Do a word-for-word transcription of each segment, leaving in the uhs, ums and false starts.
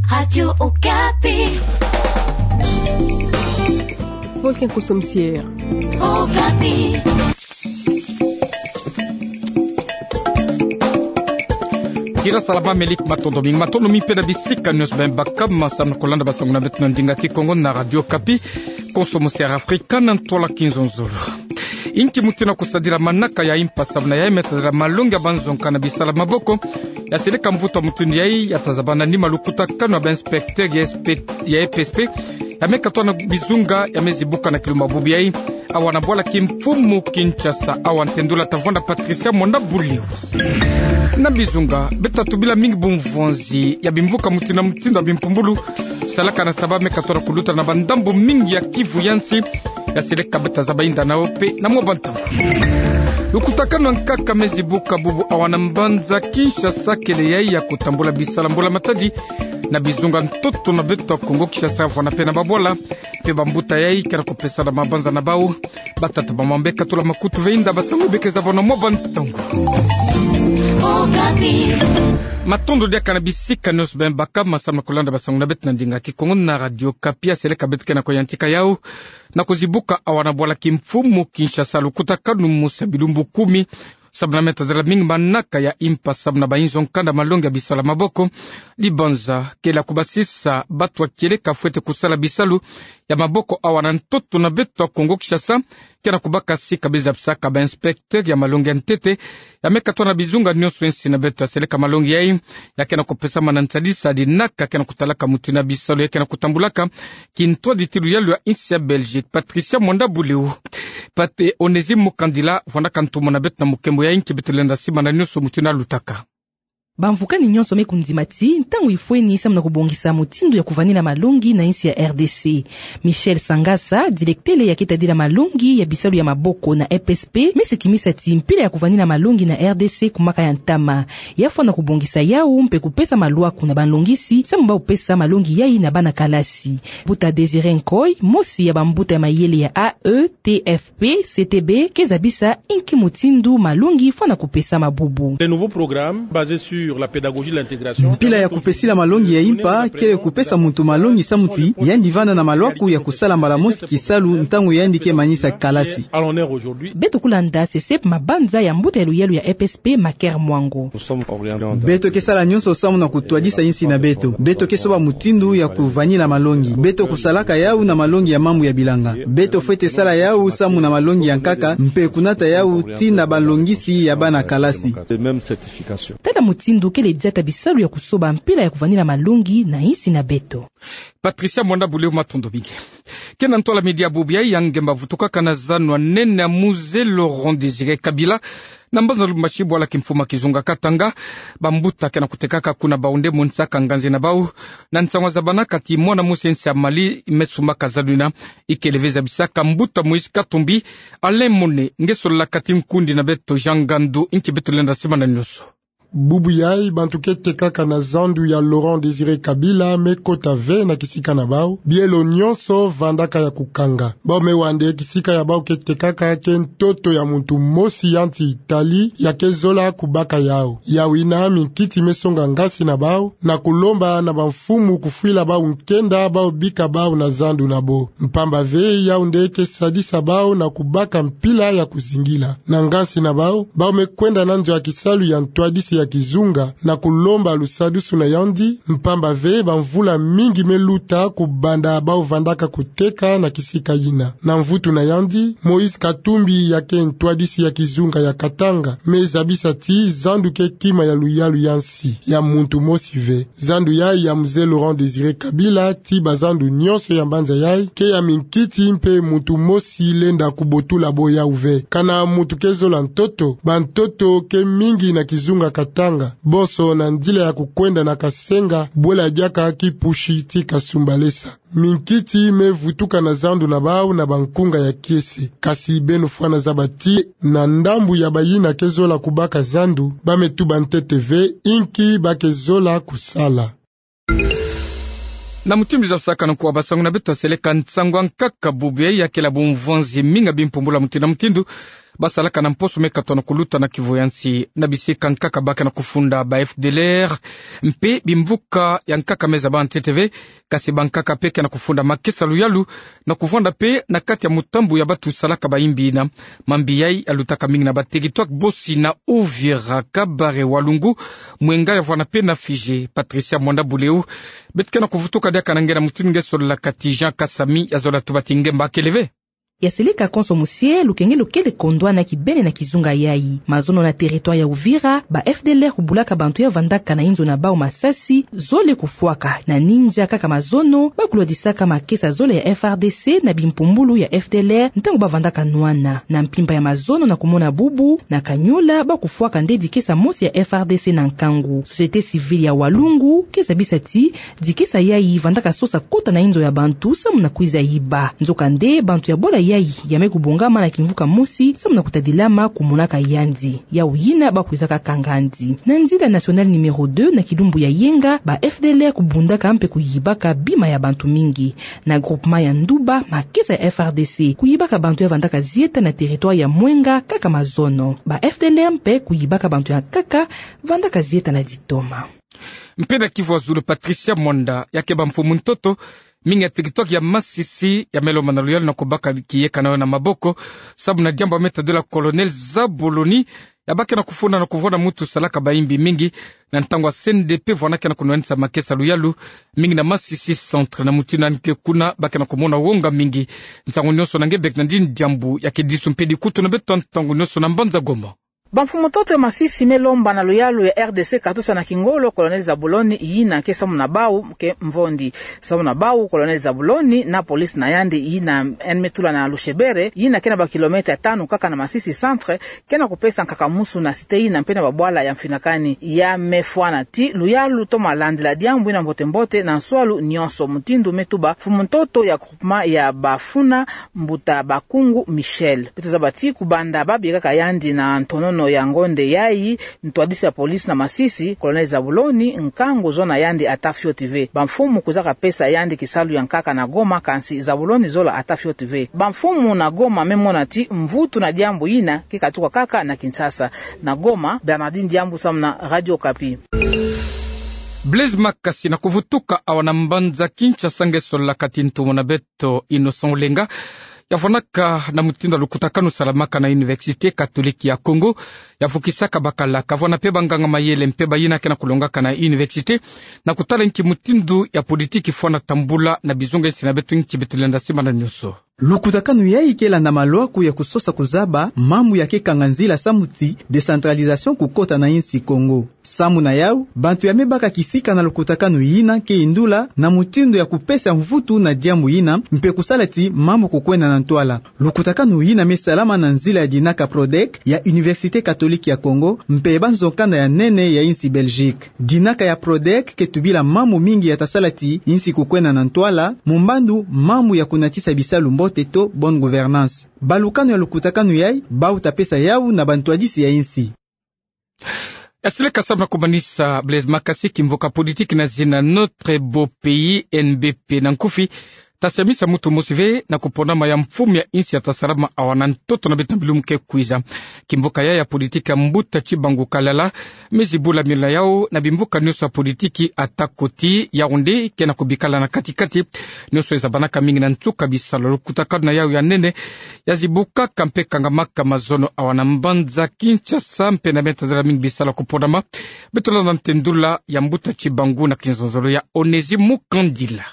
Radio Okapi. Folke Nkoso Misier. Okapi. Tira salama, melik matondo mingi, matondo mingi mpe na bisika nyonso beno baka ma samu na kolanda basango na beto na ndinga Kikongo na Radio Okapi. Nkoso Misier Afrika na ntwala kinzonzolo. Inki mutindu ya kusadila manaka ya impa samu na yai me tadila malongi ya banzonka na bisala maboko? Ya seleka mvutu mutindu yai ya tazabana nima lukutakanu ya ba inspecteur ya S P, ya E P S P, ya me katoa na bizunga ya me zibuka na kilumbu bubu yai, awa na bwala kimfumu Kinshasa, awa ntendula tavwanda Patricia Mwanda Buliu. Na bizunga, beto tatubila mingi bumvonzi ya bimvuka mutindu na mutindu ya bimpumbulu salaka na Saba me katoa na kuluta na bandambu mingi ya Kivu ya nsi, ya seleka beto tazaba yinda nao mpe na mwa bantangu. Lukutakanu ya nkaka me zibuka bubu awa na mbanza Kinshasa, kele yai ya kutambula bisala mbula matadi na bizunga ntoto na beto ya Kongo Kinshasa, vwanda mpe na babwala, mpe bambuta yai ke na kupesana mabanza na bau. Batata, bamama, mbe katula makutu ve yinda basango beke zaba na mwa bantangu. Okapi. Matondo diaka na bisika nyonso beno baka ma samu na kolanda basango na beto na ndinga Kikongo na Radio Okapi. Ya seleka beto ke na kuyantika yau na kuzibuka awa na bwala kimfumu Kinshasa lukutakanu mosi ya bilumbu kumi samu na me tadila mingi manaka ya impa samu na bayinzo nkanda malongi ya bisala maboko. Dibanza kele ya kubasisa bato ya kieleka fwete kusala bisalu ya maboko awa na ntoto na beto ya Kongo Kinshasa, ke na kubaka sika be zabisaka ba inspecteur ya malongi ya ntete, ya me katoa na bizunga nyonso ya nsi na beto. Ya seleka malongi yai ya ke na kupesama na nsadisa dinaka ke na kutalaka mutindu ya bisalu yai ke na kutambulaka kintwaditi luyalu ya nsi ya Belgique. Patricia Mwanda Buliu. Pate Onésime Mukandila vwandaka ntumwa na beto na mukembo yai, nki beto lenda simbana nyonso mutindu ya lutaka. Bamvukani nyonso me kundima ti ntangu ifweni samu na kubongisa mutindu ya kuvanina malongi na nsi ya R D C. Michel Sangasa, directeur ya ke tadila malongi ya bisalu ya maboko na E P S P, me se kimisa ti mpila ya kuvanina malongi na R D C kumaka ya ntama. Ya fwana kubongisa yau mpe kupesa malwaku na banlongisi samu bau pesa malongi yai na bana kalasi. Mbuta Désiré Nkoy, mosi ya bambuta ya mayele ya A E T F P C T B, ke zabisa inki mutindu malongi fwana kupesama bubu. Le nouveau programme basé sur la pédagogie de l'intégration. Mpila ya kupesila malongi ya impa kele kupesa muntu malongi samu ti yandi vanda na malwaku ya kusala mbala mosi kisalu ntangu yandi ke manisa kalasi. Beto kulanda sese mabanza ya mbuta ya luyalu ya E P S P, Maker Mwango. Beto ke sala nyonso samu na kutwadisa nsi na beto. Beto ke soba mutindu ya kuvanina malongi. Beto kusalaka yau na malongi ya mambu ya bilanga. Beto fwete sala yau samu na malongi ya nkaka, mpe kunata yau tii na banlongisi ya bana kalasi. Tala mutindu kele diata bisalu ya kusoba mpila ya kuvanina malongi na nsi na beto. Patricia Mwanda Buliu, matondo mingi. Ke na ntwala midi ya bubu yai, ya ngemba vutukaka na zanu ya nene ya Musée Laurent Désiré Kabila na mbanza Lubumbashi, bwala kimfumu ya kizunga Katanga. Bambuta ke na kutekaka kuna, bau nde monisaka nganzi na bau na nsangu ya zabanaka ti mwana mosi ya nsi ya Mali me sumbaka zanu yina. Ikele ve zabisaka mbuta Moïse Katumbi. Alain Mone, nge sololaka ti nkundi na beto Jean Ngandu, inki beto lenda simbana nyonso. Bubu yai bantu ke tekaka na zandu ya Laurent Désiré Kabila me kota ve na kisika na bau, bielo nyonso vandaka ya kukanga. Bau me wa nde kisika ya bau ke tekaka ke ntoto ya muntu mosi ya nsi Italie ya ke zola kubaka yau. Yau yina minkiti me songa ngasi na bau na kulomba na bamfumu kufwila bau nkenda bau bika bau na zandu na bo. Mpamba ve yau nde ke sadisa bau na kubaka mpila ya kuzingila. Na ngasi na bau, bau me kwenda na nzo ya kisalu ya ntwadisi ya kizunga na kulomba lusadusu na yandi, mpamba ve bamvula mingi me luta kubanda bau vandaka kuteka na kisika yina. Na mvutu na yandi, Moïse Katumbi ya ke ntwadisi ya kizunga ya Katanga me zabisa ti zandu ke kima ya luyalu ya nsi, ya muntu mosi ve. Zandu yai ya Musée Laurent Désiré Kabila, ti bazandu nyonso ya mbanza yai, ke ya minkiti mpe muntu mosi lenda kubotula bo yau ve. Kana muntu ke zola ntoto, bantoto ke mingi na kizunga Katanga, bonso na nzila ya kukwenda na Kasenga, bwela diaka Kipushi ti Kasumbalesa. Minkiti me vutuka na zandu na bau na bankunga ya kiese. Kasi beno fwana zaba ti na ndambu ya bayina ke zola kubaka zandu, ba me tuba ntete ve inki ba ke zola kusala. Na mutindu zabisaka na nkuwa basangu na beto, seleka nsangu ya nkaka bubu yai ya kele bumvonzi mingi ya bimpumbulu ya mutindu na mutindu. basalaka na mposo me katona kuluta na kivu ya nsi. Na bisika nkaka ba ke na kufunda ba F D L R, mpe bimvuka ya nkaka me zaba ntete ve, kasi bankaka mpe ke na kufunda makesa luyalu, na kuvwanda mpe na kati ya mutambu ya batu salaka bayimbi yina. Mambi yayi yalutaka mingi na ba territoire bosi na Uvira, Kabare, Walungu, Mwenga ya vwanda mpe na Fige. Patricia Mwanda Buleu, beto ke na kuvutuka diaka na nge na mutindu nge sololaka ti Jean Kasami, ya zola tuba ti nge mba kele ve. Ya seleka konso musie, lukengelo kele kondwa na kibeni na kizunga yayi. Mazono na territoire ya Uvira, ba F D L R kubulaka bantu ya vandaka na inzo na bau masasi, zole kufwaka. Na ninja kaka mazono, ba kulwadisaka makesa zole ya F R D C na bimpumbulu ya F D L R, ntangu ba vandaka nwana. Na mpimpa ya mazono na kumona bubu, na Kanyola, ba kufwaka nde dikesa mosi ya F R D C na nkangu. Société civile ya Walungu ke zabisa ti, dikesa yayi vandaka sosa kota na inzo ya bantu samu na kwiza yiba. Nzokande, bantu ya bola yayi ya me kubongama na kimvuka mosi samu na kutadilama kumonaka yandi. Yawu yina ba kwizaka kanga yandi. Na nzila nationale numéro deux na kilumbu ya yenga, ba F D L R kubundaka mpe kuyibaka bima ya bantu mingi. Na groupement ya Nduba, makesa ya F R D C kuyibaka bantu ya vandaka zieta na territoire ya Mwenga kaka mazono. Ba F D L R mpe kuyibaka bantu ya nkaka vandaka zieta na ditoma. Mpe na kivu ya zulu, Patricia Mwanda, ya ke bamfumu ntoto mingi ya territoire ya Masisi ya me lomba na luyalu na kubaka kiyeka na yo na maboko, samu na diambu ya me tadila Colonel Zabuloni, ya ba ke na kufunda na kuvwanda muntu salaka bayimbi mingi, na ntangu ya C N D P vwanda ke na kunwanisa makesa luyalu mingi na Masisi Centre. Na mutindu yandi ke kuna, ba ke na kumona wonga mingi. Nsangu nionso na nge Bernardine Diambu, ya ke disu mpe dikutu na beto ntangu nionso na mbanza Goma. Bamfumu ntoto ya Masisi me lomba na luyalu ya R D C katusa na kingolo Colonel Zabuloni, yina ke samu na bau ke mvondi. Samu na bau, Colonel Zabuloni na police na yandi yina yandi me tula na Lushebere, yina ke na ba kilomètre tanu kaka na Masisi Centre, ke na kupesa nkaka musu na cité yina mpe na babwala ya mfinakani. Ya me fwana ti luyalu toma landila diambu yina mbote-mbote na nswalu nionso, mutindu me tuba mfumu ntoto ya groupement ya Bafuna, Mbuta Bakungu Michel. Beto zaba ti kubanda ba biekaka yandi na ntonono ya ngonde yayi, ntwadisi ya police na Masisi, Colonel Zabuloni, nkangu zona yandi ata fioti ve. Bamfumu kwizaka pesa yandi kisalu ya nkaka na Goma, kansi Zabuloni zola ata fioti ve. Bamfumu na Goma me mona ti mvutu na diambu yina ke katuka kaka na Kinshasa. Na Goma, Bernardine Diambu samu na Radio Okapi. Blaise Makasi, na kuvutuka awa na mbanza Kinshasa nge sololaka ti ntumwa na beto Innocent Olenga, ya vwanaka na mutindu ya lukutakanu salamaka na Université Catholique ya Congo, ya vukisaka bakala, kavwana mpe banganga-mayele mpe bayina ke na kulongaka na université, na kutala nki mutindu ya politiki fwana tambula na bizunga nsi na beto, nki beto lenda simana nionso. Lukutakanu yayi ke landa malwaku ya kusosa kuzaba mambu ya ke kanga nzila samu ti décentralisation kukota na insi Congo. Samu na yau, bantu ya me baka kisika na lukutakanu yina ke yindula na mutindu ya kupesa mvutu na diambu yina, mpe kusala ti mambu kukwenda na ntwala. Lukutakanu yina me salama na nzila ya dinaka PRODEC ya Université Catholique ya Congo, mpe banzo-nkanda ya nene ya insi Belgique. Dinaka ya PRODEC ke tubila mambu mingi ya ta sala ti insi kukwenda na ntwala, mu mbandu mambu ya kunatisa bisalu mbote to bonne gouvernance. Balukanu ya lukutakanu yayi, bau ta pesa yau na bantwadisi ya insi. Ya seleka samu na kumanisa, Blaise Makasi, kimvuka politiki na zina Notre Beau Pays, N B P na nkufi, ta siamisa muntu mosi ve na kupondama ya mfumu ya insi ya ta salama awa na ntoto na beto na bilumbu ke kwiza. Kimvuka yayi ya politiki ya mbuta Tshibangu Kalala, me zibula milu na yau na bimvuka nionso ya politiki, atako ti Yaoundé ke na kubikala na kati-kati, nionso ezabanaka mingi na nsuka bisalu. Lukutakanu na yau ya nene ya zibukaka mpe kangamaka mazono awa na mbanza Kinshasa, mpe na me tadila mingi bisalu ya kupondama. Beto landa ntendula ya mbuta Tshibangu na kinzonzolo ya Onésime Mukandila.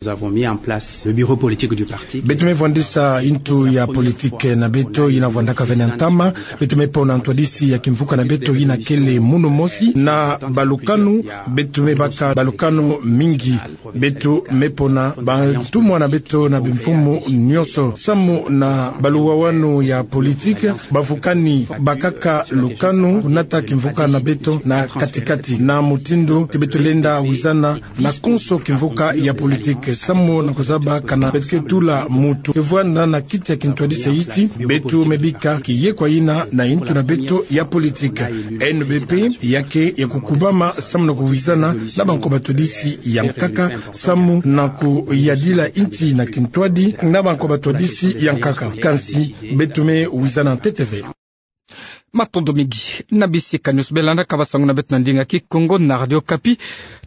Nous avons mis en place le bureau politique du parti. Beto me vwandisa ntu ya politiki na beto yina vwandaka ve na ntama. Beto me pona ntwadisi ya kimvuka na beto yina kele munu mosi. Na balukanu, beto me baka balukanu mingi. Beto me pona bantumwa na beto na bimfumu nionso. Samu na baluwawanu ya politiki, bavukani bakaka lukanu kunata kimvuka na beto na kati-kati, na mutindu ti beto lenda wizana na konso kimvuka ya politiki. Samu na kuzaba kana beto ke tula mutu ke vwanda na kiti ya kintwadisi ya iti, beto me bika kiye kwa yina na yintu na beto ya politique. N B P ya ke ya kukubama samu na kuwizana na bankoba twadisi ya nkaka, samu na kuyadila nti na kintwadi na bankoba twadisi ya nkaka. Kansi beto me wizana ntete ve. Matondo mingi. Na bisikani nyonso bela nda ka basango na beto na ndinga Kikongo na Radio Okapi,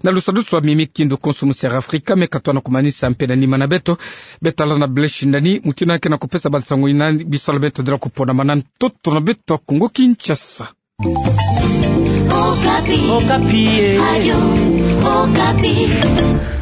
na lusadusu wa mimi kindo konso mu Sierra Africa, me katwa na kumanisa mpe na nima na beto. Beto landa na Blaise Shindani, mutindu na ke na kupesa bansango yina bisalu beto dela kupona mana ntoto na beto Kongo Kinshasa. Okapi. Okapi, eh. Radio Okapi.